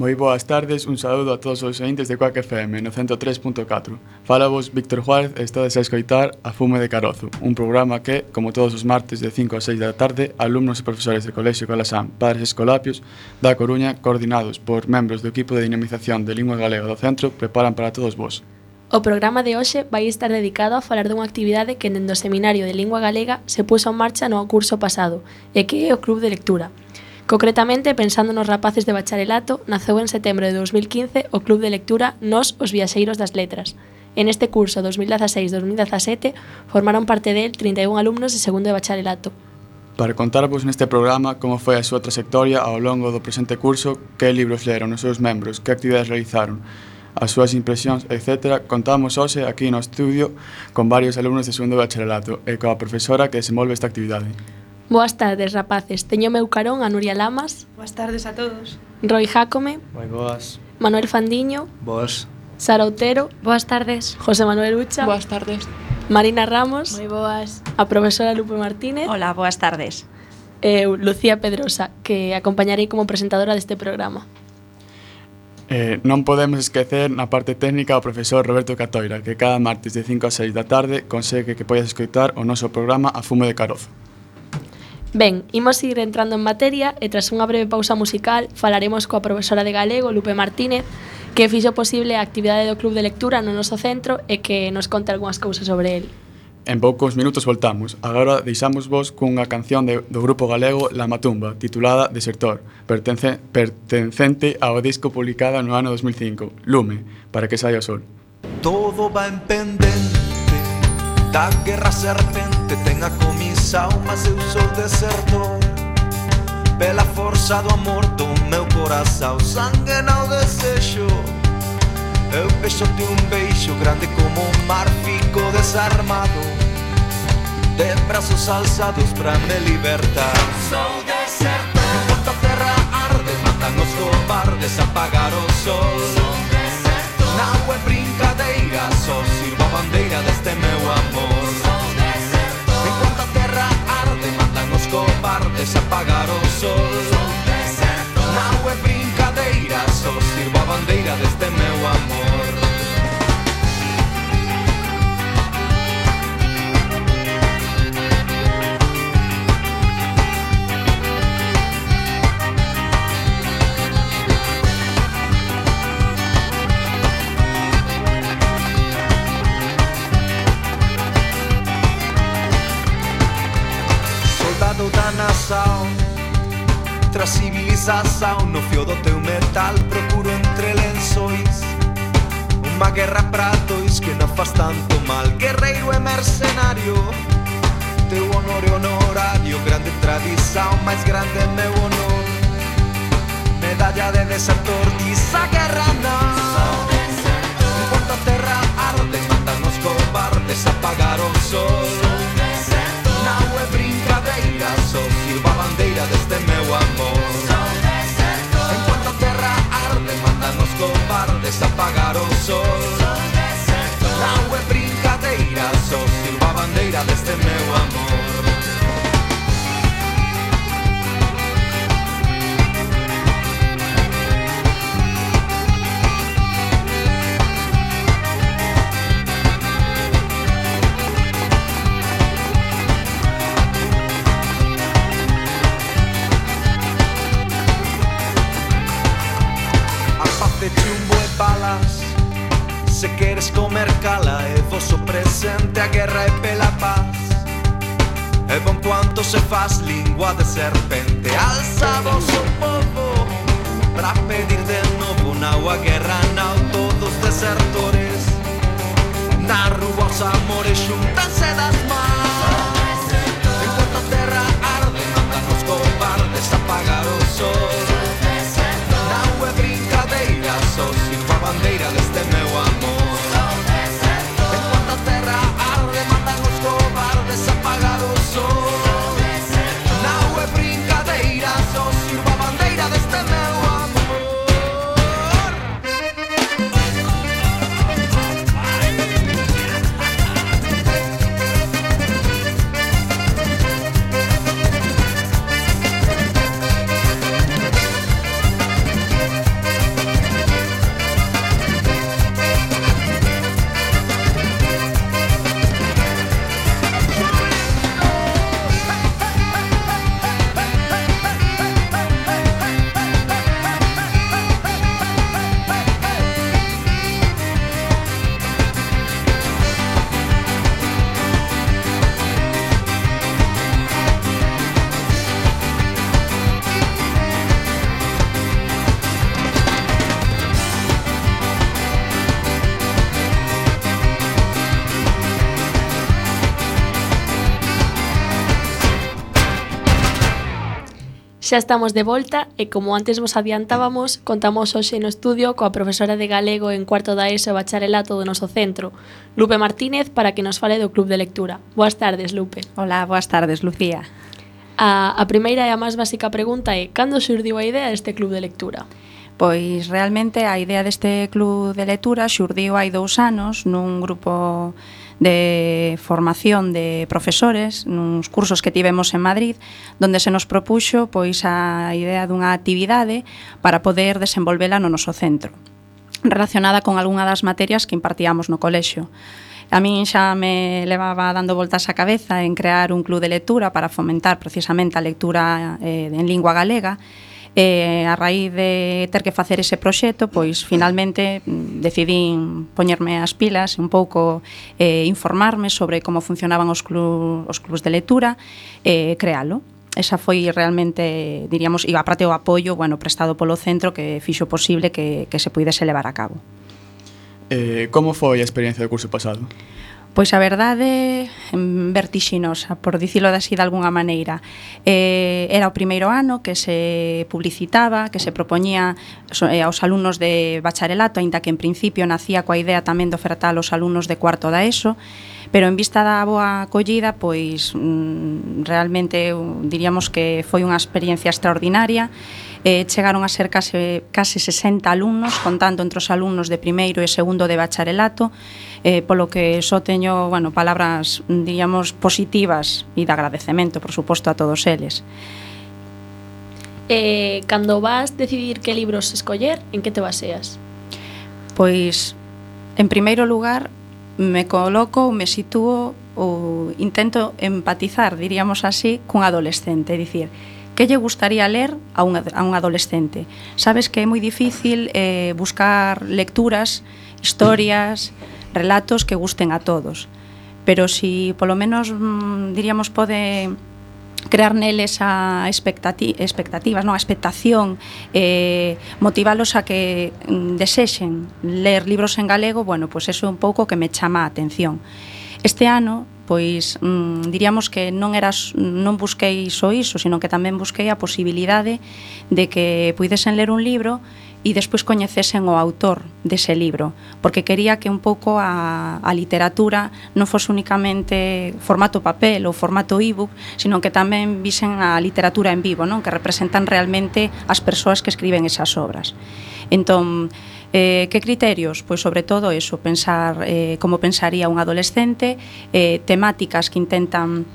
Moi boas tardes, un saúdo a todos os ointes de Quack FM no 103.4. Fala vos Víctor Juárez e estades a escoitar A Fume de Carozo, un programa que, como todos os martes de 5 a 6 da tarde, alumnos e profesores do Colexio Calasán, Padres Escolapios, da Coruña, coordinados por membros do equipo de dinamización de lingua galega do centro, preparan para todos vos. O programa de hoxe vai estar dedicado a falar dunha actividade que dende o Seminario de Lingua Galega se puso en marcha no curso pasado e que é o Club de Lectura. Concretamente, pensando nos rapaces de bacharelato, naceu en setembro de 2015 o Club de Lectura Nós os Viaxeiros das Letras. En este curso 2016-2017 formaron parte del 31 alumnos de segundo de bacharelato. Para contarvos neste programa como foi a súa trayectoria ao longo do presente curso, que libros leron os seus membros, que actividades realizaron, as súas impresións, etc., contamos hoxe aquí no estudio con varios alumnos de segundo de bacharelato e coa profesora que desenvolve esta actividade. Boas tardes, rapaces. Teño meu carón a Nuria Lamas. Boas tardes a todos. Roy Jácome. Moi boas. Manuel Fandiño. Boas. Sara Otero. Boas tardes. José Manuel Ucha. Boas tardes. Marina Ramos. Moi boas. A profesora Lupe Martínez. Hola, boas tardes. E Lucía Pedrosa, que acompañarei como presentadora deste programa. Non podemos esquecer na parte técnica o profesor Roberto Catoira, que cada martes de 5 a 6 da tarde consegue que poidas escoitar o noso programa A Fume de Carozo. Ben, imos ir entrando en materia e tras unha breve pausa musical falaremos coa profesora de galego, Lupe Martínez, que fixo posible a actividade do Club de Lectura no noso centro e que nos conta algunhas cousas sobre el. En poucos minutos voltamos. Agora deixamos vos cunha canción do grupo galego La Matumba, titulada Desertor, pertencente ao disco publicado no ano 2005, Lume, para que saia o sol. Todo va en pendente da guerra serpente, ten a comisa, mas eu sou desertor. Pela forza do amor do meu corazón, sangue no desexo. Eu peixo-te un beijo grande como un mar, fico desarmado, de brazos alzados pra me libertar. Sou desertor. Enquanto a terra arde, matan os cobardes, apagar o sol. Sou desertor. Na é brincadeira, só sirvo a bandeira deste meu amor. Sou desertor. Enquanto a terra arde, matan os cobardes, apagar o sol. Sou desertor. Na é brincadeira, só sirvo a bandeira deste meu amor. Soldado da nação, tras civilização, no fio do teu metal procuro entre lençóis uma guerra pra dois que não faz tanto mal. Guerreiro e mercenário, teu honor e honorário, grande tradição, mais grande é meu honor. Medalha de desertor, diz a guerra não. Enquanto a terra arde, matam os cobardes, apagar o sol. Não é brincadeira, só sirvo a bandeira deste meu amor. Enquanto a terra arde, matam os cobardes, apagar o sol. Não é brincadeira, só sirvo a bandeira deste meu amor. Balas, se queres comer cala, é vosso presente, a guerra é pela paz. É bom quanto se faz língua de serpente. Alza vosso povo pra pedir de novo. Não a guerra, não todos desertores. Na rua os amores juntam-se das mãos. Enquanto a terra arde, mandam os cobardes apagar o sol. Não é brincadeira, só sirvo a bandeira deste meu amor. Enquanto a terra arde, mandam os cobardes apagar o sol. Não é brincadeira, só sirvo a bandeira deste meu amor. Xa estamos de volta e, como antes vos adiantábamos, contamos hoxe no estudio coa profesora de galego en cuarto da ESO e bacharelato do noso centro, Lupe Martínez, para que nos fale do Club de Lectura. Boas tardes, Lupe. Hola, boas tardes, Lucía. A primeira e a máis básica pregunta é: cando xurdiu a idea deste Club de Lectura? Pois realmente a idea deste club de lectura xurdiu hai 2 anos nun grupo de formación de profesores, nuns cursos que tivemos en Madrid, donde se nos propuxo pois a idea dunha actividade para poder desenvolvela no noso centro, relacionada con algunha das materias que impartíamos no colexio. A min xa me levaba dando voltas á cabeza en crear un club de lectura para fomentar precisamente a lectura en lingua galega. A raíz de ter que facer ese proxecto, pois finalmente decidín poñerme as pilas un pouco, informarme sobre como funcionaban os clubs de lectura e crealo. Esa foi realmente, diríamos, e aparte o apoio, bueno, prestado polo centro que fixo posible que se puidese levar a cabo. Como foi a experiencia do curso pasado? Pois a verdade vertixinosa, por dicilo así de alguna maneira. Era o primeiro ano que se publicitaba, que se propoñía aos alumnos de bacharelato, aínda que en principio nacía coa idea tamén de ofertar aos alumnos de cuarto da ESO, pero en vista da boa acollida, pois realmente diríamos que foi unha experiencia extraordinaria. Chegaron a ser case 60 alumnos, contando entre os alumnos de primeiro e segundo de bacharelato, polo que só teño, bueno, palabras, diríamos, positivas e de agradecemento, por suposto, a todos eles. Cando vas decidir que libros escoller, en que te baseas? Pois, en primeiro lugar, me coloco, me sitúo ou intento empatizar, diríamos así, cun adolescente, é dicir, que lle gustaría ler a un adolescente? Sabes que é moi difícil buscar lecturas, historias, relatos que gusten a todos, pero si polo menos, diríamos, pode crear neles a expectativas, non? A expectación, motivalos a que desexen ler libros en galego, bueno, pois eso é un pouco que me chama a atención. Este ano, pois diríamos que non busquei só iso, sino que tamén busquei a posibilidade de que puidesen ler un libro e despois coñecesen o autor dese libro, porque quería que un pouco a literatura non fose únicamente formato papel ou formato ebook, sino que tamén visen a literatura en vivo, non? Que representan realmente as persoas que escriben esas obras. Entón, que criterios? Pois sobre todo eso, pensar como pensaría un adolescente, temáticas que intentan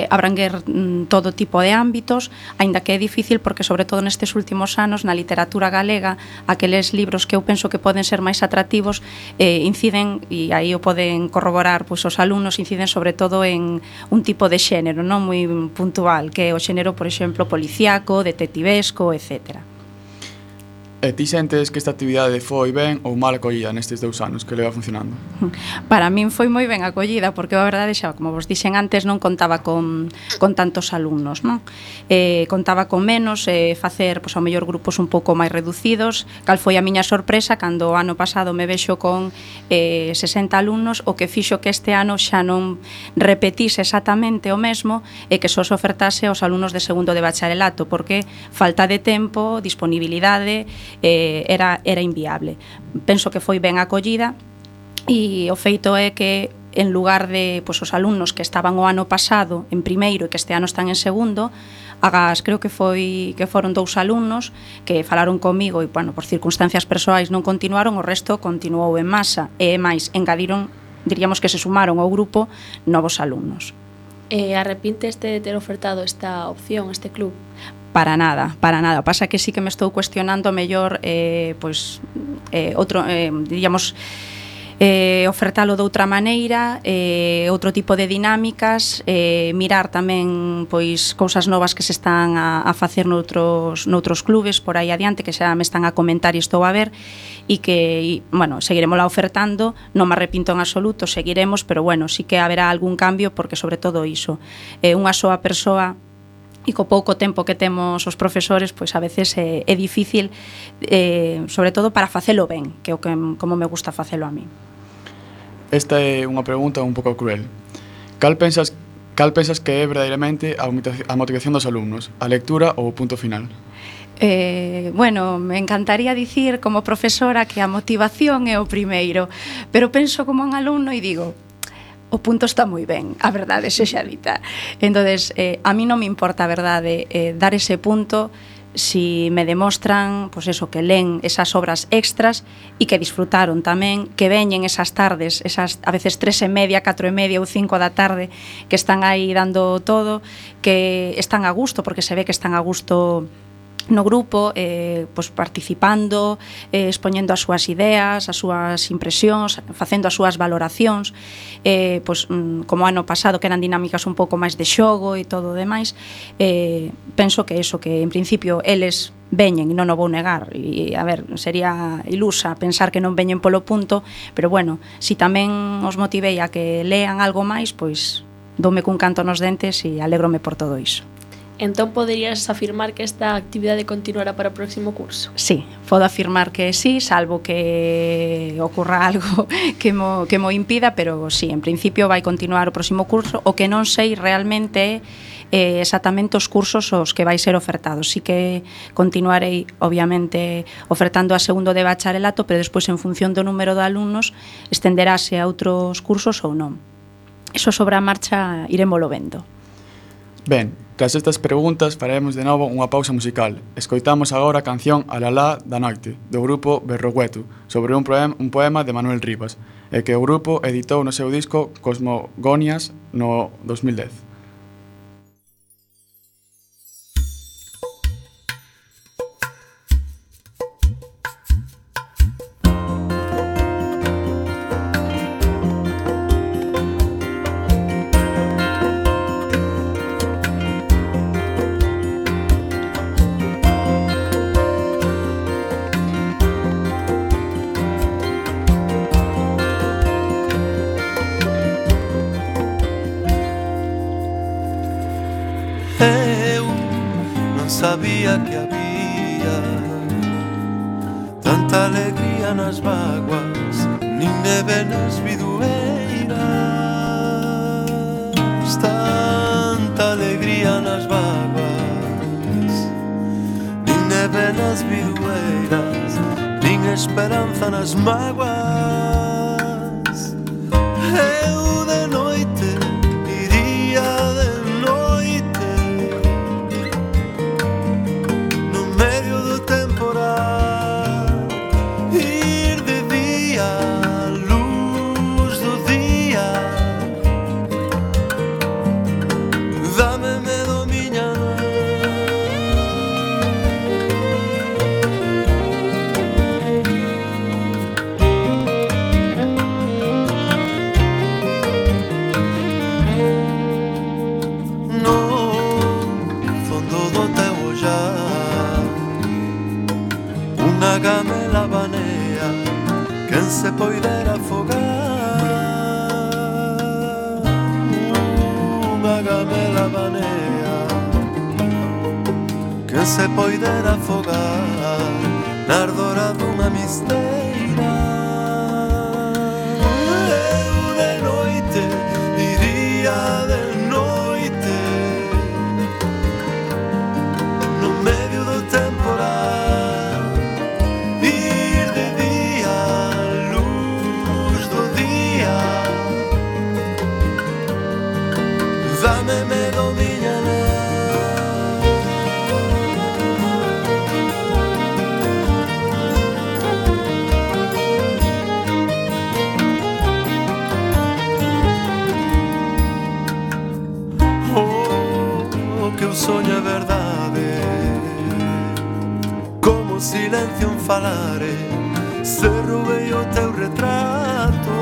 abranguer todo tipo de ámbitos, aínda que é difícil porque sobre todo nestes últimos anos na literatura galega aqueles libros que eu penso que poden ser máis atractivos inciden, e aí o poden corroborar pois os alumnos, inciden sobre todo en un tipo de xénero non moi puntual, que é o xénero, por exemplo, policíaco, detectivesco, etcétera. E ti sentes que esta actividade foi ben ou mal acollida nestes 2 anos que leva funcionando? Para min foi moi ben acollida, porque a verdade xa, como vos dixen antes, non contaba con tantos alumnos, non? Contaba con menos, facer, pois, ao mellor grupos un pouco máis reducidos. Cal foi a miña sorpresa cando o ano pasado me vexo con 60 alumnos, o que fixo que este ano xa non repetise exactamente o mesmo e que só se ofertase aos alumnos de segundo de bacharelato, porque falta de tempo, disponibilidade, era inviable. Penso que foi ben acollida e o feito é que en lugar de pois, os alumnos que estaban o ano pasado en primeiro e que este ano están en segundo, creo que foron 2 alumnos que falaron comigo e, bueno, por circunstancias persoais non continuaron, o resto continuou en masa e máis, engadiron, diríamos que se sumaron ao grupo novos alumnos. Arrepinteste de ter ofertado esta opción, este club? Para nada. Pasa que sí que me estou cuestionando mellor outro, diríamos, ofertalo de outra maneira, outro tipo de dinámicas, mirar tamén pois cousas novas que se están a facer noutros clubes por aí adiante, que xa me están a comentar e estou a ver, e que, bueno, seguiremos la ofertando, non me arrepinto en absoluto, seguiremos, pero bueno, sí que haberá algún cambio, porque sobre todo iso, unha soa persoa e co pouco tempo que temos os profesores, pois a veces é difícil, sobre todo para facelo ben, que é o que como me gusta facelo a mí. Esta é unha pregunta un pouco cruel. Cal pensas Cal pensas que é verdadeiramente a motivación dos alumnos? A lectura ou o punto final? Bueno, me encantaría dicir como profesora que a motivación é o primeiro, pero penso como un alumno e digo, o punto está moi ben, a verdade sexa dita. Entonces, a mí non me importa, a verdade, dar ese punto si me demostran, pois eso, que len esas obras extras e que disfrutaron tamén, que veñen esas tardes, esas a veces 3:30, 4:30 ou 5 da tarde, que están aí dando todo, que están a gusto, porque se ve que están a gusto no grupo, pois participando, expoñendo as súas ideas, as súas impresións, facendo as súas valoracións, pois como ano pasado que eran dinámicas un pouco máis de xogo e todo o demais, penso que eso, que en principio eles veñen, e non o vou negar, e a ver, sería ilusa pensar que non veñen polo punto, pero bueno, si tamén os motivei a que lean algo máis, pois doume cun canto nos dentes e alégrome por todo iso. Entón, poderías afirmar que esta actividade continuará para o próximo curso? Sí, podo afirmar que sí, salvo que ocorra algo que mo impida, pero sí, en principio vai continuar o próximo curso. O que non sei realmente é exactamente os cursos os que vai ser ofertados. Sí que continuarei, obviamente, ofertando a segundo de bacharelato, pero despois, en función do número de alumnos, estenderase a outros cursos ou non. Iso sobre a marcha irémolo vendo. Ben, tras estas preguntas faremos de novo unha pausa musical. Escoitamos agora a canción Alalá da noite, do grupo Berrogueto, sobre un poema de Manuel Rivas, e que o grupo editou no seu disco Cosmogonias no 2010. Sabía que había tanta alegría nas vaguas, nin neve nas bidueiras, tanta alegría nas vaguas, nin neve nas bidueiras, nin esperanza nas mágoas. Eu de noite iría de noite no medio do temporal, ir de día a luz do día. Dame medo miña no fondo do teu ollar, unha gamela banea quen se poidera afogar, unha gamela banea quen se poidera afogar na ardora dunha misteira. Eu de noite iría de noite no medio do temporal, ir de día a luz do día. Dame medo miña que o soño é verdade, como o silencio en falare, se roubei o teu retrato,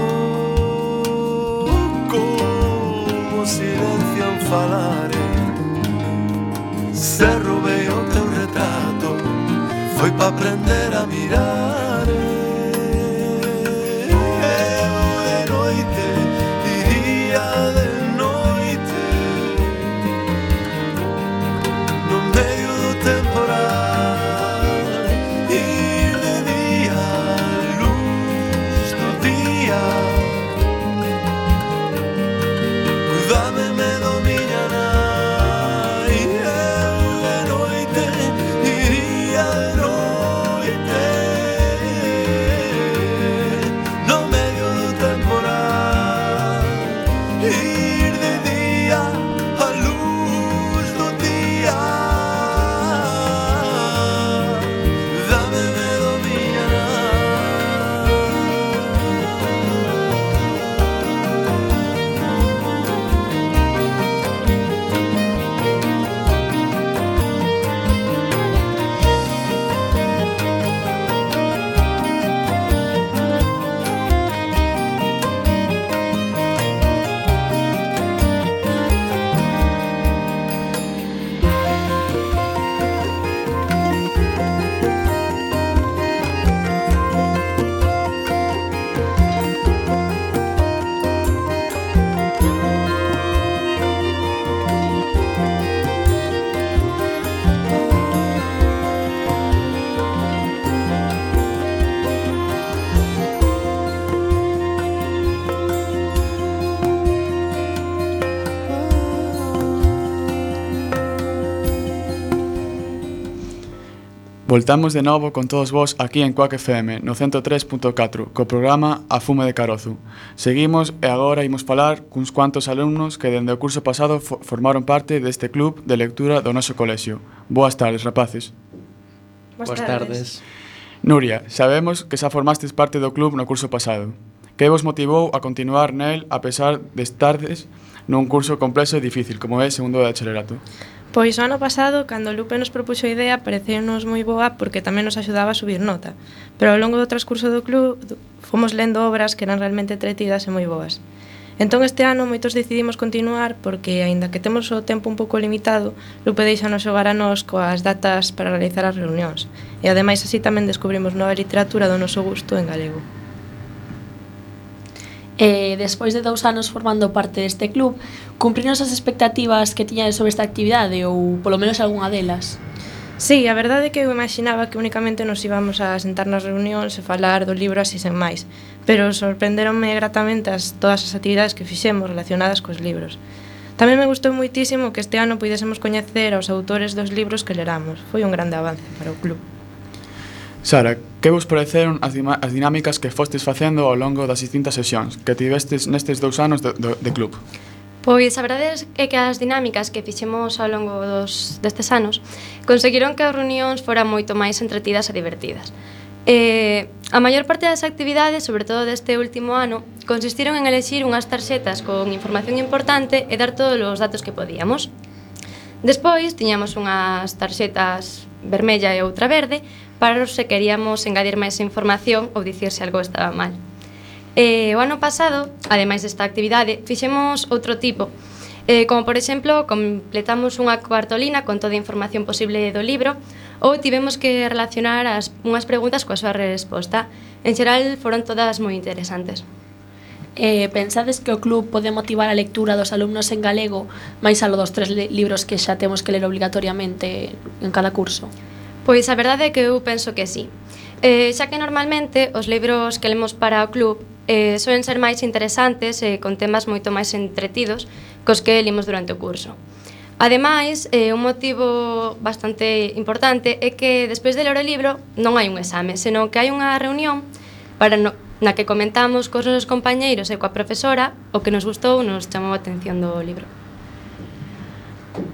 como o silencio en falare, se roubei o teu retrato, foi pa aprender a mirar. Eu de noite iría de noite no medio do temporal, ir de día a luz do día. Dame medo miña Voltamos de novo con todos vos aquí en Quack FM no 103.4 co programa A Fume de Carozo. Seguimos e agora imos falar cuns cuantos alumnos que dende o curso pasado formaron parte deste club de lectura do noso colexio. Boas tardes, rapaces. Boas tardes. Nuria, sabemos que xa formastes parte do club no curso pasado. Que vos motivou a continuar nel a pesar de estardes nun curso complexo e difícil como é segundo de bacharelato? Pois o ano pasado, cando o Lupe nos propuxo a idea, pareceu-nos moi boa porque tamén nos axudaba a subir nota. Pero ao longo do transcurso do club fomos lendo obras que eran realmente entretidas e moi boas. Entón este ano moitos decidimos continuar porque, aínda que temos o tempo un pouco limitado, Lupe deixanos xogar a nós coas datas para realizar as reunións. E ademais así tamén descubrimos nova literatura do noso gusto en galego. Despois de 2 anos formando parte deste club, cumprinos as expectativas que tiñades sobre esta actividade ou polo menos algunha delas? Sí, a verdade é que eu imaginaba que únicamente nos íbamos a sentar nas reunións e falar do libro así sen máis, pero sorprenderonme gratamente todas as actividades que fixemos relacionadas cos libros. Tamén me gustou moitísimo que este ano puidésemos coñecer aos autores dos libros que leramos. Foi un grande avance para o club. Sara, que vos pareceron as dinámicas que fostes facendo ao longo das distintas sesións que tivestes nestes 2 anos de club? Pois a verdade é que as dinámicas que fixemos ao longo destes anos conseguiron que as reunións foran moito máis entretidas e divertidas. A maior parte das actividades, sobre todo deste último ano, consistiron en elexir unhas tarxetas con información importante e dar todos os datos que podíamos. Despois tiñamos unhas tarxetas vermella e outra verde para os se queríamos engadir máis información ou dicir se algo estaba mal. O ano pasado, ademais desta actividade, fixemos outro tipo, como por exemplo, completamos unha cartolina con toda a información posible do libro ou tivemos que relacionar unhas preguntas coa súa resposta. En xeral, foron todas moi interesantes. Pensades que o club pode motivar a lectura dos alumnos en galego máis alo dos 3 libros que xa temos que ler obrigatoriamente en cada curso? Pois a verdade é que eu penso que sí. Xa que normalmente os libros que lemos para o club soen ser máis interesantes e con temas moito máis entretidos cos que limos durante o curso. Ademais, un motivo bastante importante é que despois de ler o libro non hai un exame, senón que hai unha reunión na que comentamos cos nosos compañeiros e coa profesora o que nos gustou, nos chamou a atención do libro.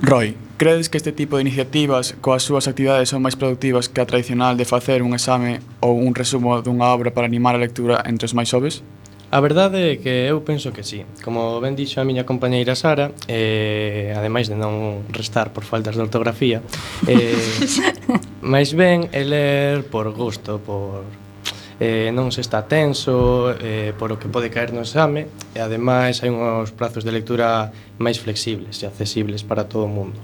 Roy, credes que este tipo de iniciativas coas súas actividades son máis productivas que a tradicional de facer un exame ou un resumo dunha obra para animar a lectura entre os máis xoves? A verdade é que eu penso que sí. Como ben dixo a miña compañeira Sara, ademais de non restar por faltas de ortografía, máis ben é ler por gusto, non se está tenso por o que pode caer no exame e ademais hai uns prazos de lectura máis flexibles e accesibles para todo o mundo.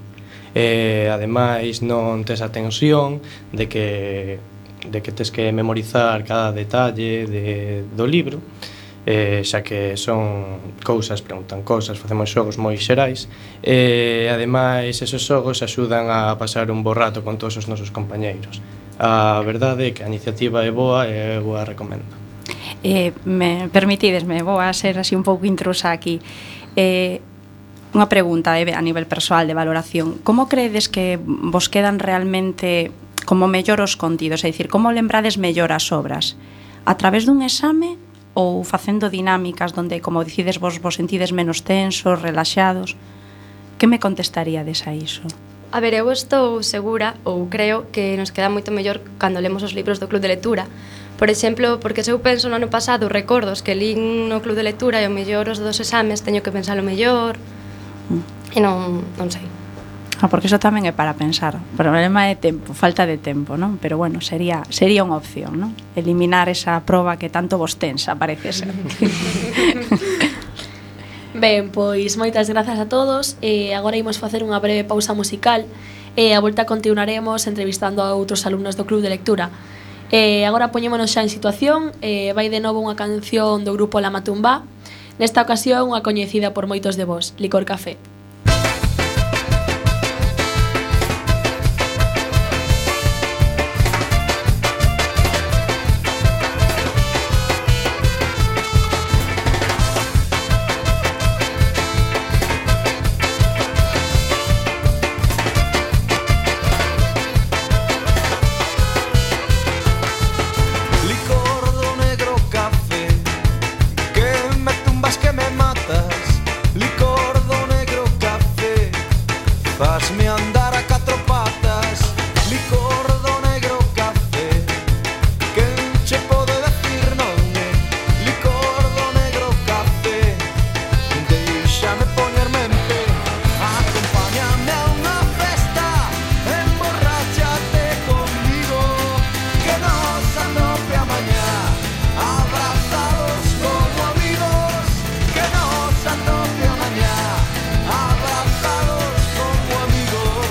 Ademais non tes a tensión de que tes que memorizar cada detalle do libro, xa que son cousas, preguntan cousas, facemos xogos moi xerais e ademais esos xogos axudan a pasar un bo rato con todos os nosos compañeiros. A verdade é que a iniciativa é boa e eu a recomendo. Permitidesme, vou a ser así un pouco intrusa aquí. Unha pregunta a nivel persoal de valoración. Como credes que vos quedan realmente como mellor os contidos? É dicir, como lembrades mellor as obras? A través dun exame ou facendo dinámicas onde, como dicides vos sentides menos tensos, relaxados? Que me contestaríades a iso? A ver, eu estou segura ou creo que nos queda moito mellor cando lemos os libros do club de lectura. Por exemplo, porque se eu penso no ano pasado recordos que lín no club de lectura e o mellor os dos exames teño que pensar o mellor e non sei. Porque iso tamén é para pensar. O problema é tempo, falta de tempo, non? Pero bueno, sería unha opción, non? Eliminar esa proba que tanto vos tensa, parece ser. Ben, pois moitas grazas a todos. Agora imos facer unha breve pausa musical e a volta continuaremos entrevistando a outros alumnos do club de lectura. Agora poñémonos xa en situación. Vai de novo unha canción do grupo La Matumba. Nesta ocasión unha coñecida por moitos de vós, Licor Café. tumbas que me matas, licor do negro café, fasme andar a catro patas, licor do negro café, quen che pode decir non é, licor do negro café, deixame poñerme en pé, acompáñame a unha festa, emborráchate conmigo, que nos anope a mañá, abrazados como amigos, que nos anope a mañá, abrazados como amigos.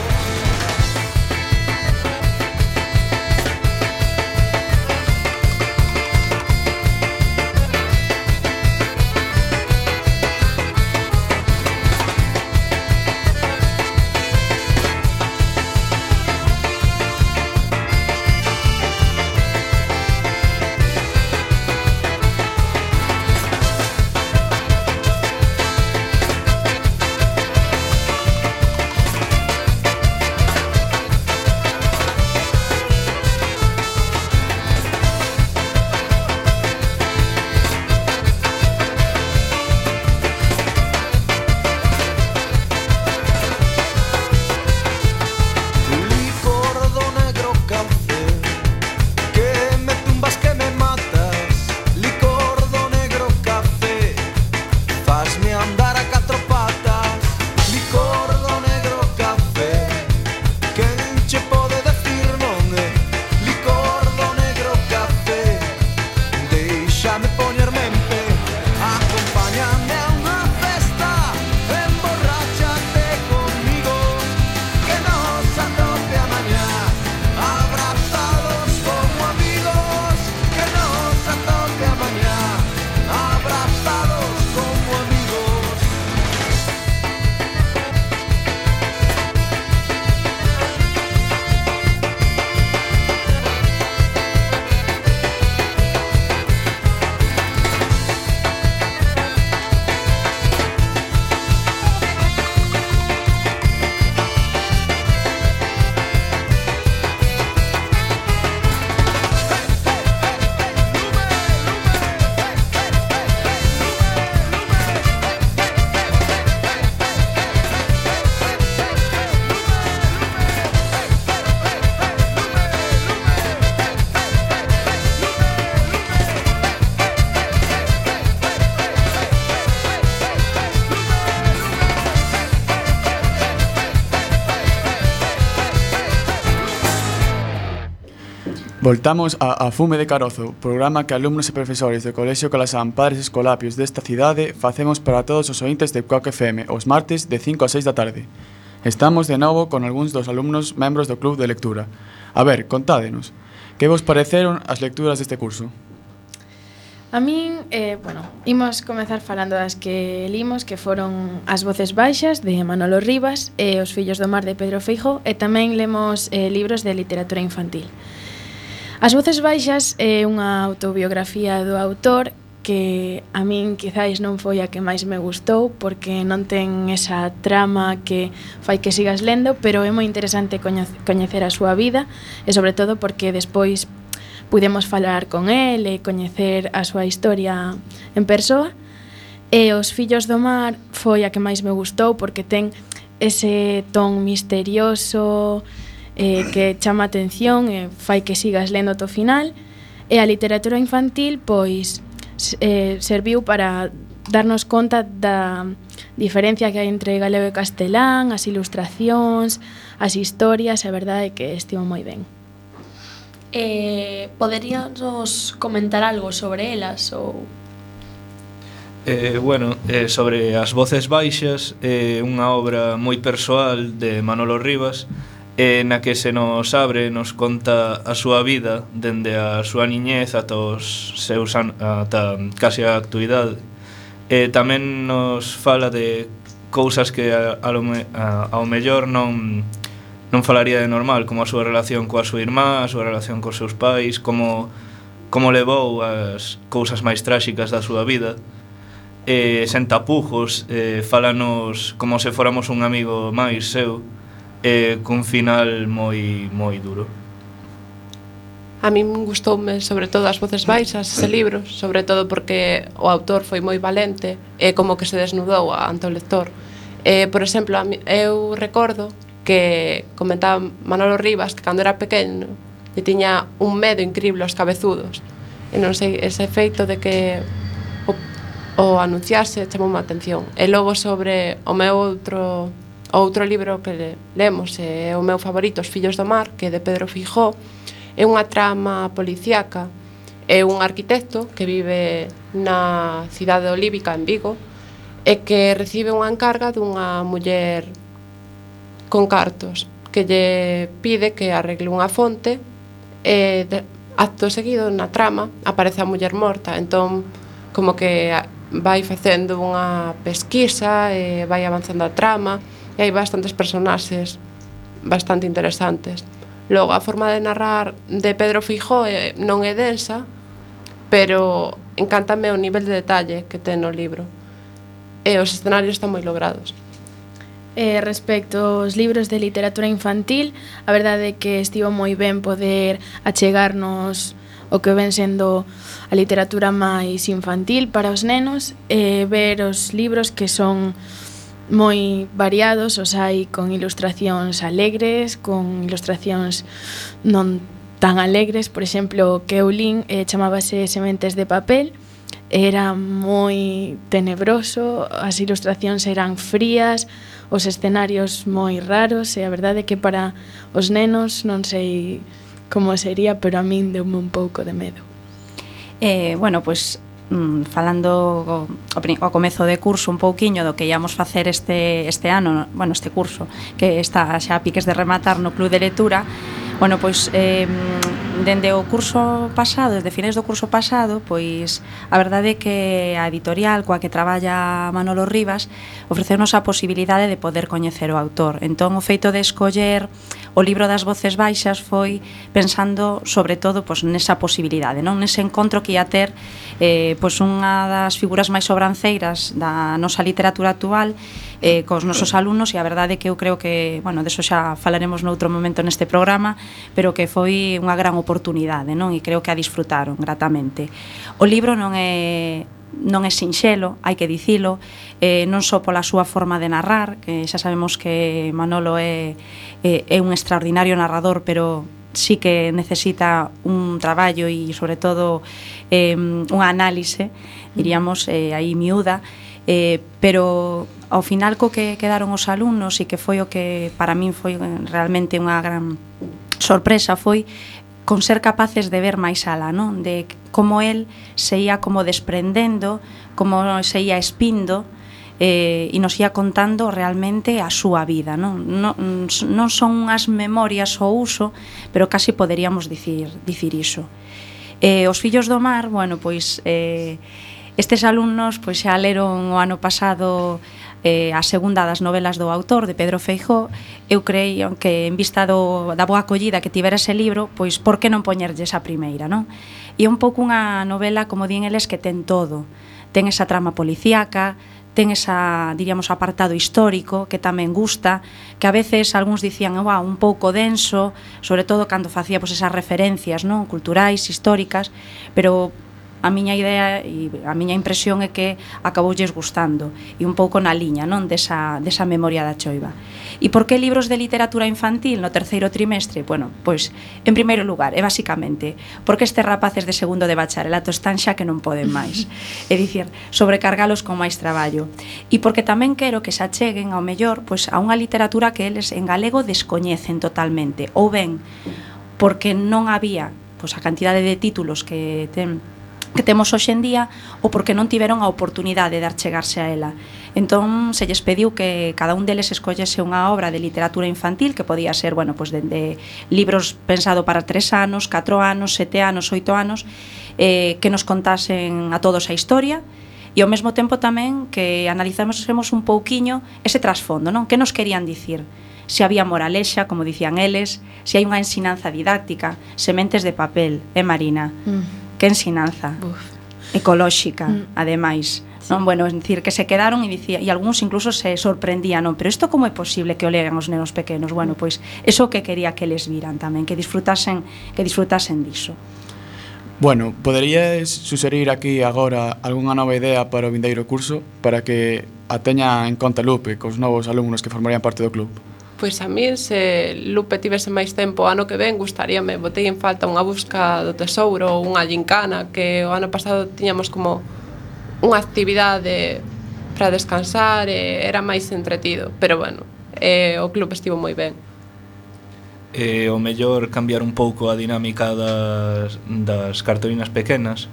Licor do negro café, que me tumbas que me matas, licor do negro café, fasme andar a catro patas, licor do negro café, quen che pode decir non é, licor do negro café, deixame poñerme en pé, acompáñame a unha festa, emborráchate conmigo, que nos anope a mañá, abrazados como amigos, que nos anope a mañá, abrazados como amigos. Voltamos a Fume de Carozo, programa que alumnos e profesores do Colexio Calasán Padres Escolapios desta cidade facemos para todos os ointes de Coac FM os martes de 5 a 6 da tarde. Estamos de novo con algúns dos alumnos membros do Club de Lectura. A ver, contádenos, que vos pareceron as lecturas deste curso? A min, imos comezar falando das que limos, que foron As voces baixas, de Manolo Rivas, e Os fillos do mar, de Pedro Feijó, e tamén lemos libros de literatura infantil. As voces baixas é unha autobiografía do autor que a min quizáis non foi a que máis me gustou porque non ten esa trama que fai que sigas lendo, pero é moi interesante coñecer a súa vida e sobre todo porque despois pudemos falar con el e coñecer a súa historia en persoa. E Os fillos do mar foi a que máis me gustou porque ten ese ton misterioso que chama a atención e fai que sigas lendo ata o final. E a literatura infantil pois serviu para darnos conta da diferencia que hai entre galego e castelán, as ilustracións, as historias, a verdade é que estivo moi ben. Poderíanos comentar algo sobre elas ou... Sobre As voces baixas, unha obra moi persoal de Manolo Rivas, na que se nos abre, nos conta a súa vida dende a súa niñez ata os seus ata casi a actualidade. Tamén nos fala de cousas que ao mellor non falaría de normal, como a súa relación coa súa irmá, a súa relación cos seus pais, como levou as cousas máis tráxicas da súa vida. Sen tapujos, fálanos como se fóramos un amigo máis seu, cun final moi duro. A min gustoume sobre todo As voces baixas, ese libro, sobre todo porque o autor foi moi valente e como que se desnudou ante o lector. Por exemplo, eu recordo que comentaba Manolo Rivas que cando era pequeno e tiña un medo increíble aos cabezudos. E non sei, ese feito de que o anunciarse chamou a atención. E logo sobre o meu outro libro que lemos, é o meu favorito, Os fillos do mar, que é de Pedro Fijó, é unha trama policíaca, é un arquitecto que vive na cidade olívica en Vigo e que recibe unha encarga dunha muller con cartos que lle pide que arregle unha fonte e acto seguido na trama aparece a muller morta, entón como que vai facendo unha pesquisa e vai avanzando a trama e hai bastantes personaxes bastante interesantes. Logo, a forma de narrar de Pedro Fijó non é densa, pero encántame o nivel de detalle que ten no libro e os escenarios están moi logrados. Respecto aos libros de literatura infantil, a verdade é que estivo moi ben poder achegarnos o que ven sendo a literatura máis infantil para os nenos e ver os libros que son moi variados, os hai con ilustracións alegres, con ilustracións non tan alegres. Por exemplo, que eu lin chamábase Sementes de papel, era moi tenebroso, as ilustracións eran frías, os escenarios moi raros e a verdade é que para os nenos non sei como sería, pero a min deume un pouco de medo. Bueno, pois falando ao comezo de curso un pouquiño do que íamos facer este ano, bueno, este curso que está xa a piques de rematar no Club de Lectura. Bueno, pois dende o curso pasado, desde finais do curso pasado, pois a verdade é que a editorial coa que traballa Manolo Rivas ofrecenos a posibilidade de poder coñecer o autor. Entón, o feito de escoller o libro das voces baixas foi pensando sobre todo pois nesa posibilidade, non, nese encontro que ia ter pois unha das figuras máis sobranceiras da nosa literatura actual cos nosos alumnos, e a verdade é que eu creo que, bueno, deso xa falaremos noutro momento neste programa, pero que foi unha gran oportunidade, non? E creo que a disfrutaron gratamente. O libro non é sinxelo, hai que dicilo, non só pola súa forma de narrar, que xa sabemos que Manolo é un extraordinario narrador, pero sí que necesita un traballo e, sobre todo, unha análise, diríamos, aí miúda, pero ao final co que quedaron os alumnos e que foi o que para min foi realmente unha gran sorpresa foi con ser capaces de ver máis alá, non? De como el se ia como desprendendo, como se ia espindo e nos ia contando realmente a súa vida, non? Non son unhas memorias ao uso, pero casi poderíamos dicir iso. Os fillos do mar, bueno, pois estes alumnos pois xa leron o ano pasado a segunda das novelas do autor, de Pedro Feijó. Eu creio que en vista da boa acollida que tivera ese libro, pois por que non poñerlles a primeira, non? E un pouco unha novela, como din eles, que ten todo. Ten esa trama policíaca, ten esa, diríamos, apartado histórico que tamén gusta, que a veces algúns dicían, un pouco denso, sobre todo cando facía pois esas referencias, non, culturais, históricas, pero a miña idea e a miña impresión é que acaboulles gustando e un pouco na liña, non, desa memoria da choiva. E por que libros de literatura infantil no terceiro trimestre? Bueno, pois, en primeiro lugar, e basicamente, porque estes rapaces de segundo de bacharelato están xa que non poden máis. É dicir, sobrecargalos con máis traballo. E porque tamén quero que se acheguen ao mellor pois a unha literatura que eles en galego descoñecen totalmente, ou ben porque non había pois a cantidade de títulos que temos hoxe en día, ou porque non tiveron a oportunidade de achegarse a ela. Entón, se lles pediu que cada un deles escollese unha obra de literatura infantil, que podía ser, bueno, pues de libros pensado para 3 anos, 4 anos, 7 anos, 8 anos, que nos contasen a todos a historia, e ao mesmo tempo tamén que analizásemos un pouquiño ese trasfondo, non? Que nos querían dicir? Se había moralexa, como dicían eles, se hai unha ensinanza didáctica, sementes de papel, Marina? Que ensinanza ecolóxica, ademais, non? Bueno, es decir, que se quedaron e dicía, e algúns incluso se sorprendían, non? Pero isto como é posible que o lean os nenos pequenos? Bueno, pois eso que quería que les viran tamén, que disfrutasen diso. Bueno, poderías suxerir aquí agora algunha nova idea para o vindeiro curso para que a teña en conta Lupe cos novos alumnos que formarían parte do club? Pois a mí, se Lupe tivese máis tempo o ano que ven, gustaríame, botei en falta unha busca do tesouro ou unha gincana, que o ano pasado tiñamos como unha actividade para descansar e era máis entretido, pero bueno, o club estivo moi ben. O mellor cambiar un pouco a dinámica das cartolinas pequenas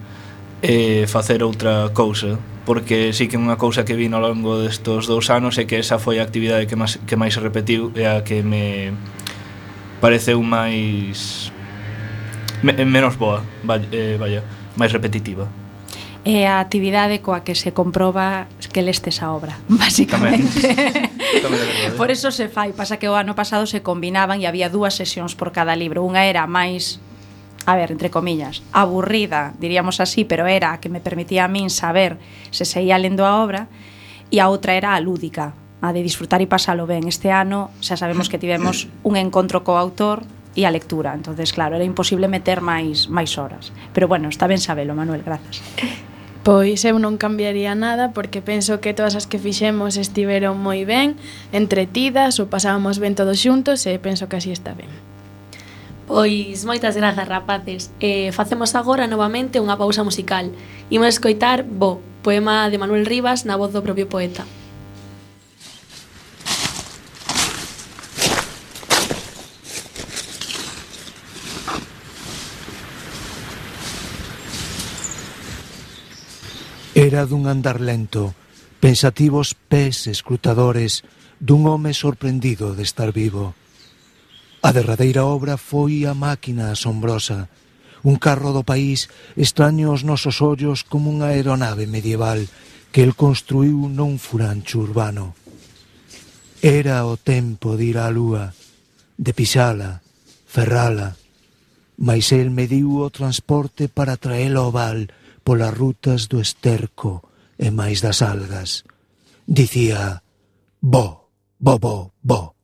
e facer outra cousa, porque sí que unha cousa que vi ao longo destos 2 anos é que esa foi a actividade que máis se repetiu e a que me pareceu máis menos boa, vaya, máis repetitiva. É a actividade coa que se comproba que lestes a obra, basicamente. Por eso se fai, pasa que o ano pasado se combinaban e había 2 sesións por cada libro. Unha era máis, a ver, entre comillas, aburrida, diríamos así, pero era a que me permitía a min saber se seguía lendo a obra, e a outra era a lúdica, a de disfrutar e pasalo ben. Este ano xa sabemos que tivemos un encontro co autor e a lectura, entonces claro, era imposible meter máis horas. Pero bueno, está ben sabelo, Manuel, grazas. Pois eu non cambiaría nada porque penso que todas as que fixemos estiveron moi ben, entretidas, o pasábamos ben todos xuntos e penso que así está ben. Pois moitas grazas, rapaces. Facemos agora novamente unha pausa musical. Imos escoitar Bo, poema de Manuel Rivas na voz do propio poeta. Era dun andar lento, pensativos pés escrutadores dun home sorprendido de estar vivo. A derradeira obra foi a máquina asombrosa, un carro do país extraño aos nosos ollos como unha aeronave medieval que el construiu nun furancho urbano. Era o tempo de ir á lúa, de pisala, ferrala, mais el mediu o transporte para traela ao val polas rutas do esterco e máis das algas. Dicía, bo, bo, bo, bo.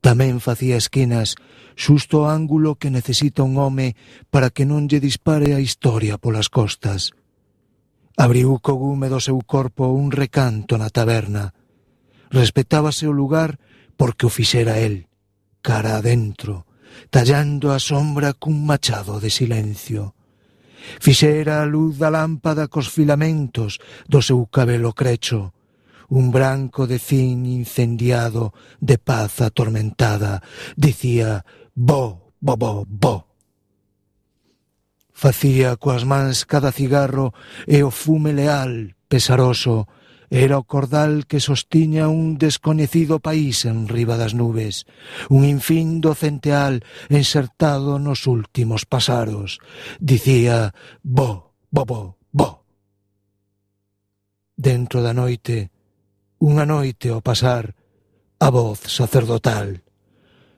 Tamén facía esquinas xusto o ángulo que necesita un home para que non lle dispare a historia polas costas. Abriu co gume do seu corpo un recanto na taberna. Respetábase o lugar porque o fixera el, cara adentro, tallando a sombra cun machado de silencio. Fixera a luz da lámpada cos filamentos do seu cabelo crecho, un branco de cin incendiado de paz atormentada. Dicía, bo, bo, bo, bo. Facía coas mans cada cigarro e o fume leal, pesaroso, era o cordal que sostiña un descoñecido país en riba das nubes, un infindo centeal ensertado nos últimos pasaros. Dicía, bo, bo, bo, bo. Dentro da noite, unha noite ao pasar, a voz sacerdotal.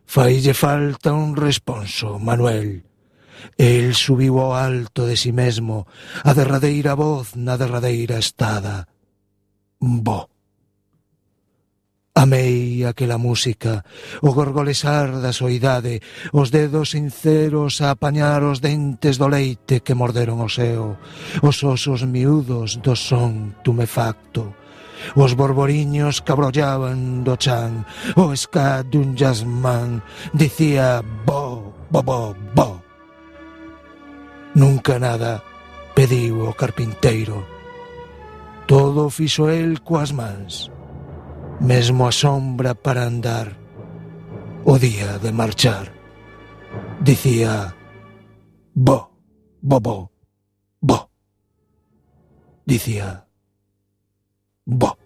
Faille falta un responso, Manuel. El subiu ao alto de si mesmo, a derradeira voz na derradeira estada. Bo. Amei aquela música, o gorgolesar da soidade, os dedos sinceros a apañar os dentes do leite que morderon o seo, os osos miúdos do son tumefacto, os borboriños que abrollaban do chan, o ska dun jazzman. Dicía bo, bo, bo, bo. Nunca nada pediu o carpinteiro. Todo fixo el coas mans, mesmo a sombra para andar, o día de marchar. Dicía, bo, bo, bo, bo. Dicía, bo.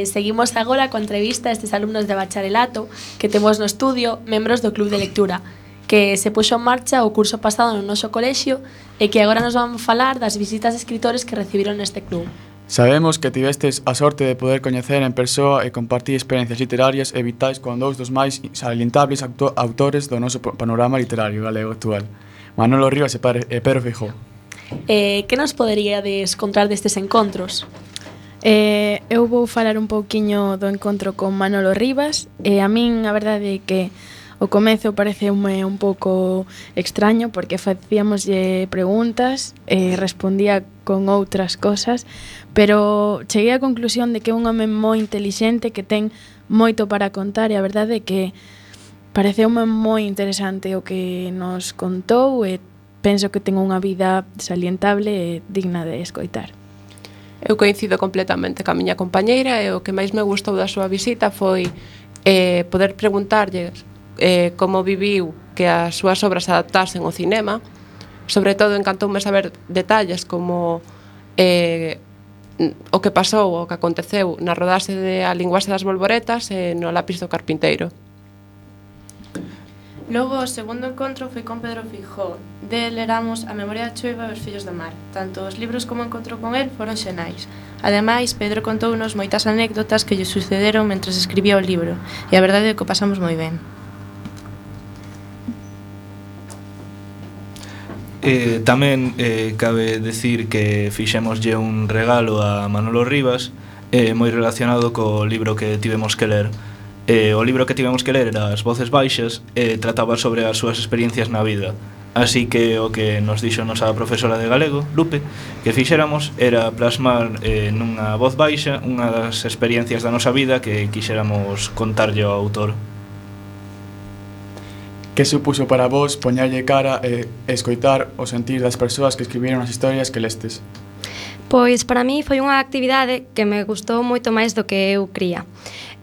Seguimos agora coa entrevista a estes alumnos de bacharelato que temos no estudio, membros do Club de Lectura, que se puxo en marcha o curso pasado no noso colexio e que agora nos van falar das visitas de escritores que recibiron neste club. Sabemos que tivestes a sorte de poder coñecer en persoa e compartir experiencias literarias e vitais con dous dos máis salientables autores do noso panorama literario galego actual, Manolo Rivas e Pedro Feijóo. Que nos poderíades contar destes encontros? Eu vou falar un pouquiño do encontro con Manolo Rivas e a min a verdade é que o comezo pareceume un pouco extraño porque facíamoslle preguntas e respondía con outras cosas, pero cheguei á conclusión de que é un home moi intelixente que ten moito para contar e a verdade é que pareceume moi interesante o que nos contou e penso que ten unha vida salientable e digna de escoitar. Eu coincido completamente ca miña compañeira e o que máis me gustou da súa visita foi poder preguntarlle como viviu que as súas obras se adaptasen ao cinema. Sobre todo encantoume saber detalles como o que pasou, o que aconteceu na rodaxe de A linguaxe das bolboretas e no Lápis do carpinteiro. Logo, o segundo encontro foi con Pedro Feijóo. Del leramos A memoria da choiva e Os fillos do mar. Tanto os libros como o encontro con el foron xenais. Ademais, Pedro contounos moitas anécdotas que lle sucederon mentres escribía o libro, e a verdade é que o pasamos moi ben. Tamén cabe decir que fixémoslle un regalo a Manolo Rivas moi relacionado co libro que tivemos que ler. O libro que tivemos que ler era As voces baixas e trataba sobre as súas experiencias na vida. Así que o que nos dixo a nosa profesora de galego, Lupe, que fixéramos era plasmar nunha voz baixa unha das experiencias da nosa vida que quixéramos contarlle ao autor. Que supuso para vos poñerlle cara e escoitar o sentir das persoas que escribiron as historias que lestes? Pois para mí foi unha actividade que me gustou moito máis do que eu cría.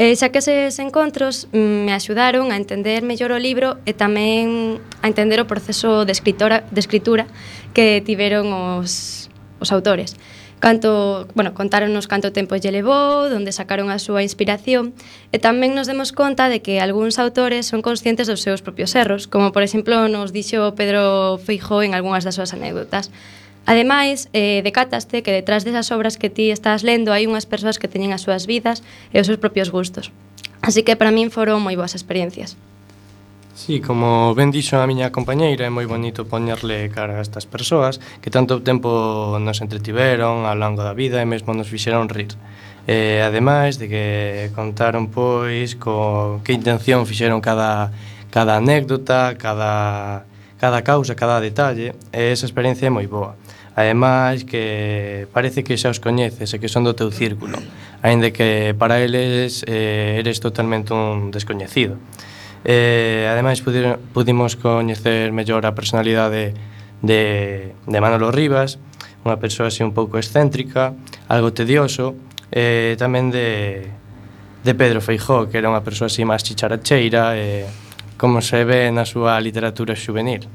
Xa que eses encontros me axudaron a entender mellor o libro e tamén a entender o proceso de escritura que tiveron os autores. Contáronnos canto tempo lle levou, onde sacaron a súa inspiración e tamén nos demos conta de que algúns autores son conscientes dos seus propios erros, como por exemplo nos dixo Pedro Feijóo en algunhas das súas anécdotas. Ademais, decátaste que detrás desas obras que ti estás lendo hai unhas persoas que teñen as súas vidas e os seus propios gustos. Así que para min foron moi boas experiencias. Sí, como ben dixo a miña compañeira, é moi bonito poñerle cara a estas persoas que tanto tempo nos entretiveron ao longo da vida e mesmo nos fixeron rir. Ademais de que contaron pois que intención fixeron cada anécdota, cada causa, cada detalle, e esa experiencia é moi boa. Ademais que parece que xa os coñeces e que son do teu círculo, aínda que para eles eres totalmente un descoñecido. Ademais pudimos coñecer mellor a personalidade de Manolo Rivas, unha persoa así un pouco excéntrica, algo tedioso, tamén de Pedro Feijóo, que era unha persoa así máis chicharacheira, como se ve na súa literatura xuvenil.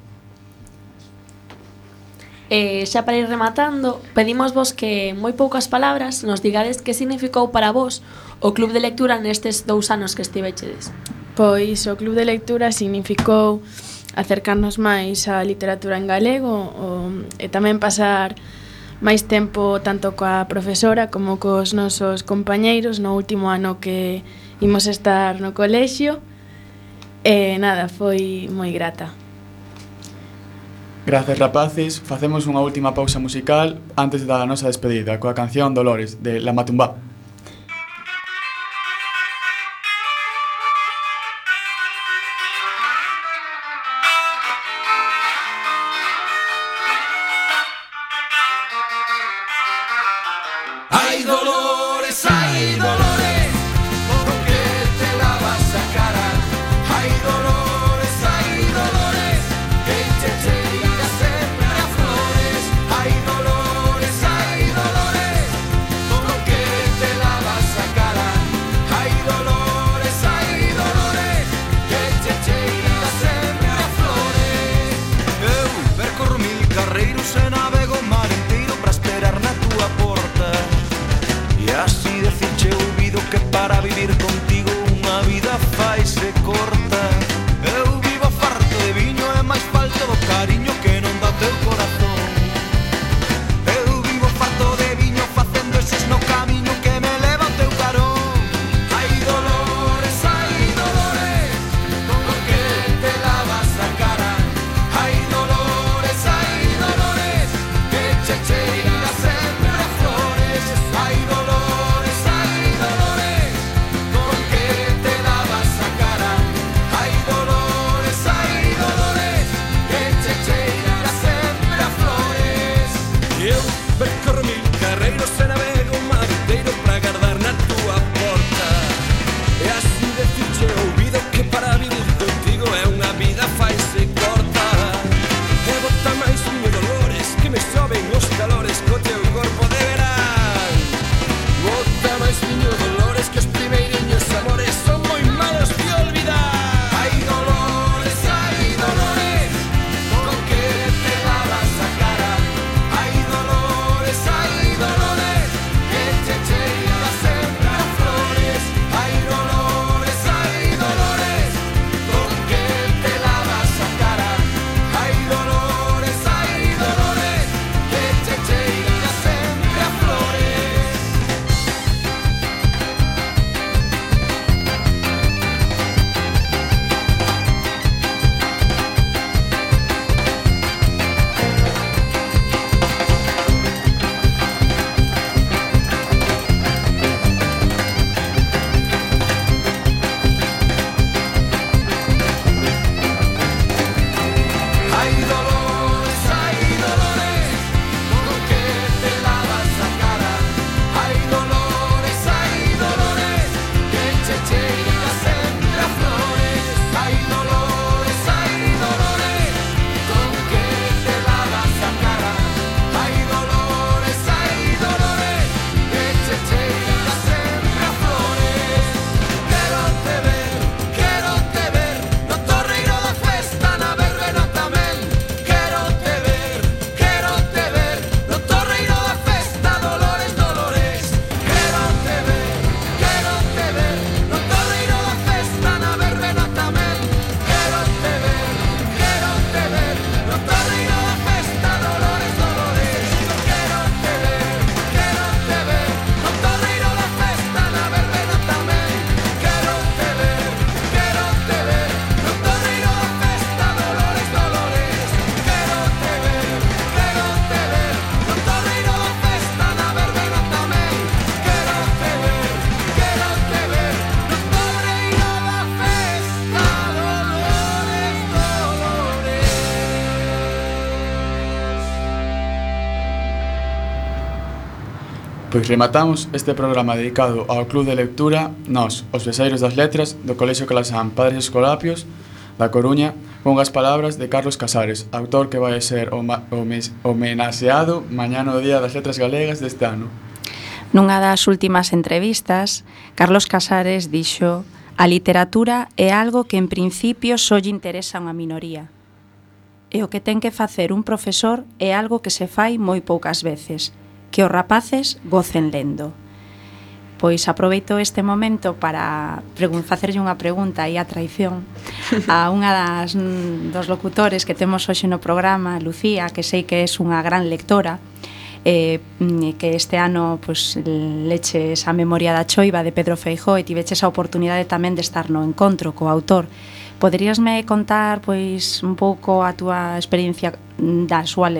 Xa para ir rematando, pedimos vos que en moi poucas palabras nos digades que significou para vos o Club de Lectura nestes 2 anos que estivechedes. Pois o Club de Lectura significou acercarnos máis á literatura en galego e tamén pasar máis tempo tanto coa profesora como cos nosos compañeiros no último ano que imos estar no colexio. E nada, foi moi grata. Gracias, rapaces. Facemos unha última pausa musical antes da nosa despedida coa canción Dolores, de La Matumbá. Hay dolores, hay dolores, ¿por qué te lavas la cara? Hay dolores, que te tiras siempre a flores. Hay dolores, ¿por qué te Pois rematamos este programa dedicado ao Club de Lectura nós, os beseiros das letras do Colexio Calasán Padres Escolapios da Coruña, con as palabras de Carlos Casares, autor que vai ser homenaxeado mañá no Día das Letras Galegas deste ano. Nunha das últimas entrevistas, Carlos Casares dixo: "A literatura é algo que en principio só lle interesa a unha minoría. E o que ten que facer un profesor é algo que se fai moi poucas veces, que os rapaces gocen lendo." Pois aproveito este momento para facerlle unha pregunta aí a traición a unha dos locutores que temos hoxe no programa, Lucía, que sei que é unha gran lectora, que este ano pois, leches a Memoria da Choiva de Pedro Feijóo e tiveches a oportunidade tamén de estar no encontro co autor. Poderíasme contar pois un pouco a túa experiencia da súa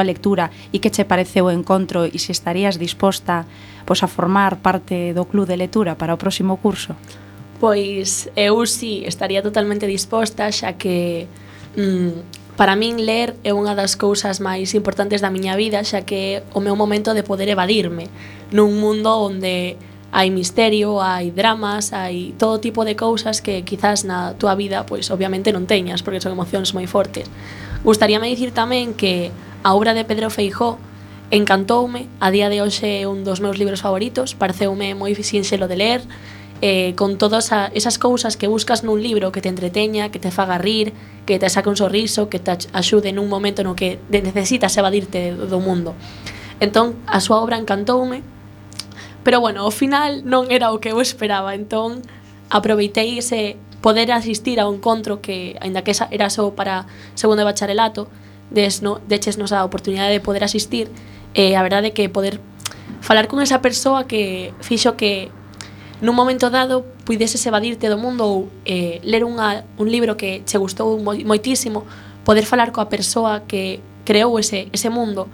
lectura e que che pareceu o encontro e se estarías disposta pois a formar parte do club de lectura para o próximo curso? Pois eu sí estaría totalmente disposta, xa que para min ler é unha das cousas máis importantes da miña vida, xa que é o meu momento de poder evadirme nun mundo onde hai misterio, hai dramas, hai todo tipo de cousas que quizás na túa vida pois obviamente non teñas, porque son emocións moi fortes. Gustaríame dicir tamén que a obra de Pedro Feijóo encantoume, a día de hoxe é un dos meus libros favoritos, pareceume moi sinxelo de ler, con todas esas cousas que buscas nun libro, que te entreteña, que te faga rir, que te saque un sorriso, que te axude nun momento no que necesitas evadirte do mundo. Entón, a súa obra encantoume, pero bueno, ao final non era o que eu esperaba, entón aproveitei ese poder asistir a un encontro que, aínda que era só para segundo de bacharelato, dechesnos a oportunidade de poder asistir, a verdade é que poder falar con esa persoa que fixo que nun momento dado puideses evadirte do mundo ou ler un libro que che gustou moitísimo, poder falar coa persoa que creou ese mundo,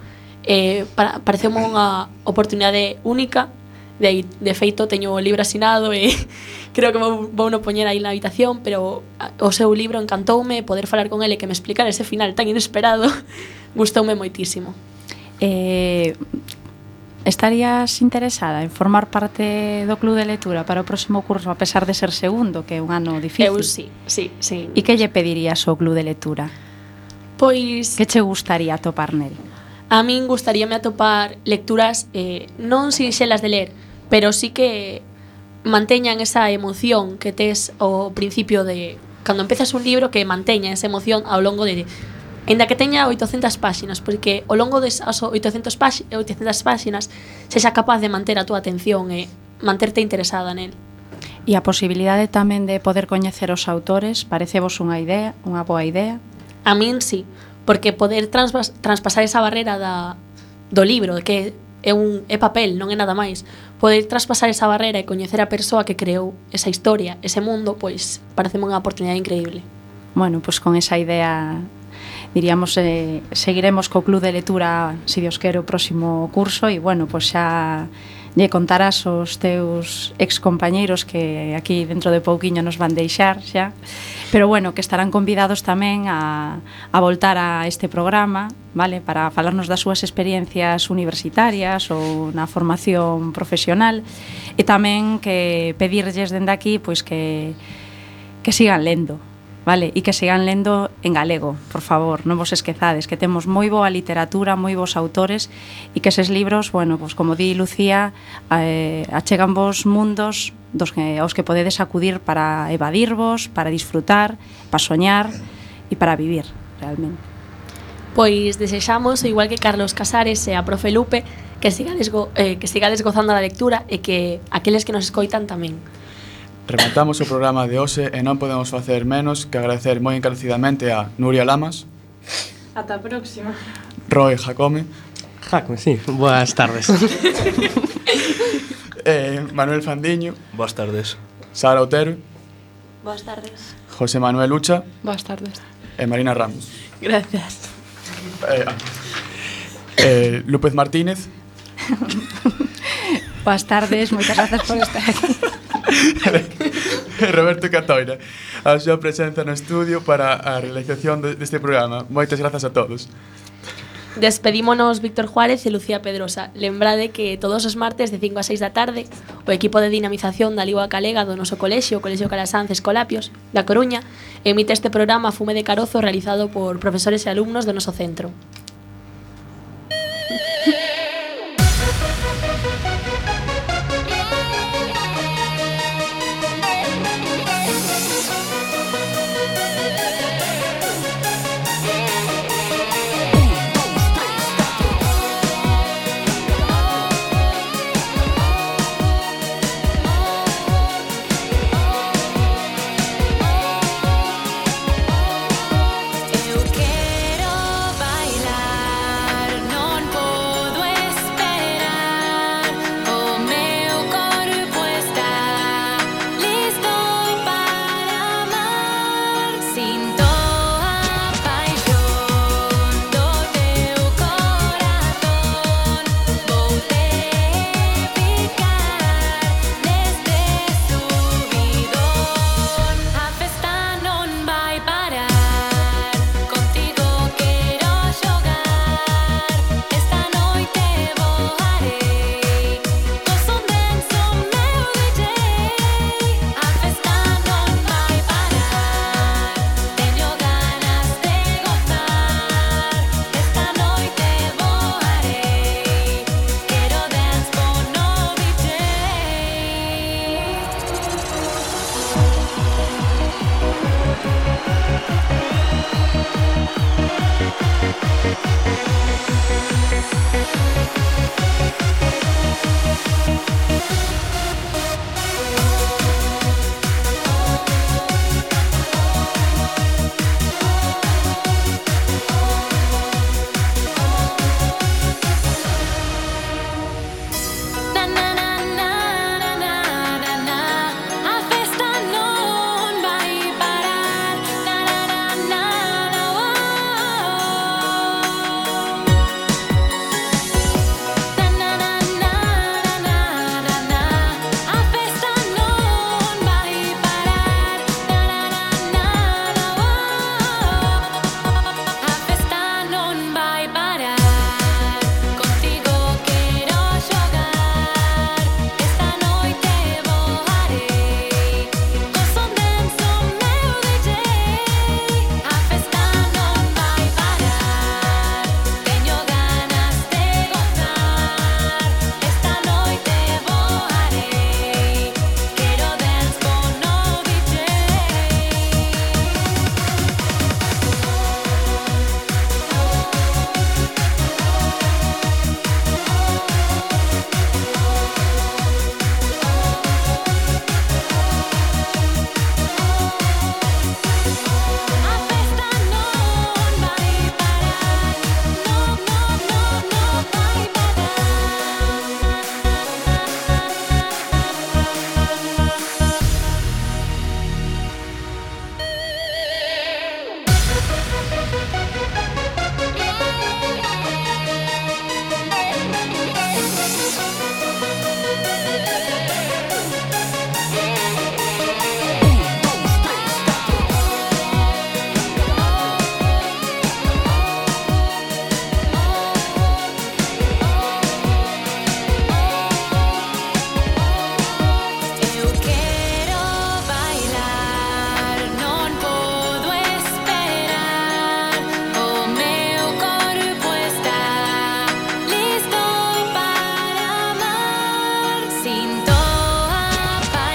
pareceume unha oportunidade única. De feito, teño o libro asinado e creo que vou no poñer aí na habitación, pero o seu libro encantoume, poder falar con ele e que me explicara ese final tan inesperado gustoume moitísimo. Estarías interesada en formar parte do club de lectura para o próximo curso, a pesar de ser segundo, que é un ano difícil? Eu sí. E que lle pedirías ao club de lectura? Pois... Que che gustaría atopar nel? A min gustaríame atopar lecturas non sinxelas de ler, pero sí que manteñan esa emoción que tes ao principio de... Cando empezas un libro, que manteña esa emoción ao longo de... Ainda que teña 800 páxinas, porque ao longo desas 800 páxinas sexa capaz de manter a túa atención e manterte interesada nel. E a posibilidade tamén de poder coñecer os autores, parecevos unha boa idea? A min sí, porque poder traspasar esa barrera do libro, que é papel, non é nada máis, poder traspasar esa barrera e coñecer a persoa que creou esa historia, ese mundo, pois pareceme unha oportunidade increíble. Bueno, pois con esa idea diríamos, seguiremos co club de lectura, se Dios quere, o próximo curso, e bueno, pois xa lle contarás os teus excompañeiros que aquí dentro de pouquiño nos van deixar xa, pero bueno, que estarán convidados tamén a voltar a este programa, vale, para falarnos das súas experiencias universitarias ou na formación profesional, e tamén que pedirlles dende aquí pois que sigan lendo, vale, e que sigan lendo en galego, por favor, non vos esquezades, que temos moi boa literatura, moi bons autores, e que eses libros, bueno, pues como di Lucía, achegan vos mundos aos que podedes acudir para evadirvos, para disfrutar, para soñar e para vivir, realmente. Pois desexamos, igual que Carlos Casares e a profe Lupe, que sigades gozando da lectura e que aqueles que nos escoitan tamén. Rematamos o programa de hoxe e non podemos facer menos que agradecer moi encarecidamente a Nuria Lamas. Ata a próxima. Roy Jacome. Sí, boas tardes. Manuel Fandiño. Boas tardes. Sara Otero. Boas tardes. José Manuel Ucha. Boas tardes. E Marina Ramos. Gracias. López Martínez. Boas tardes, moitas grazas por estar aquí. Roberto Catoira, a súa presenza no estudio para a realización deste programa. Moitas grazas a todos. Despedímonos Víctor Juárez e Lucía Pedrosa. Lembrade que todos os martes de 5 a 6 da tarde o equipo de dinamización da Lingua Galega do noso colexio, o Colexio Calasanz Escolapios, da Coruña, emite este programa Fume de Carozo realizado por profesores e alumnos do noso centro.